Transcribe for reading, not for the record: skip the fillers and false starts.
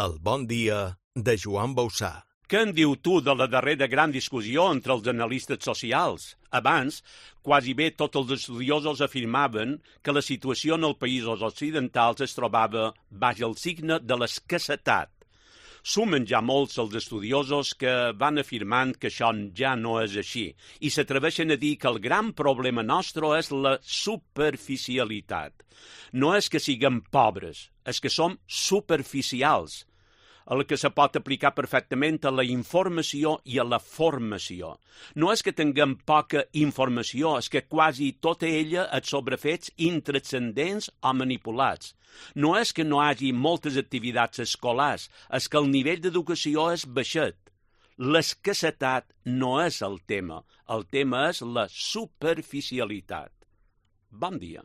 El bon dia de Joan Bausà. Què en diu tu de la darrera gran discussió entre els analistes socials? Abans, quasi bé tots els estudiosos afirmaven que la situació en els països occidentals es trobava baix el signe de l'escassetat. Sumen ja molts els estudiosos que van afirmant que això ja no és així i s'atreveixen a dir que el gran problema nostre és la superficialitat. No és que siguem pobres, és que som superficials, el que se pot aplicar perfectament a la informació i a la formació. No és que tinguem poca informació, és que quasi tota ella és sobre fets intranscendents o manipulats. No és que no hi hagi moltes activitats escolars, és que el nivell d'educació és baixet. L'escassetat no és el tema és la superficialitat. Bon dia.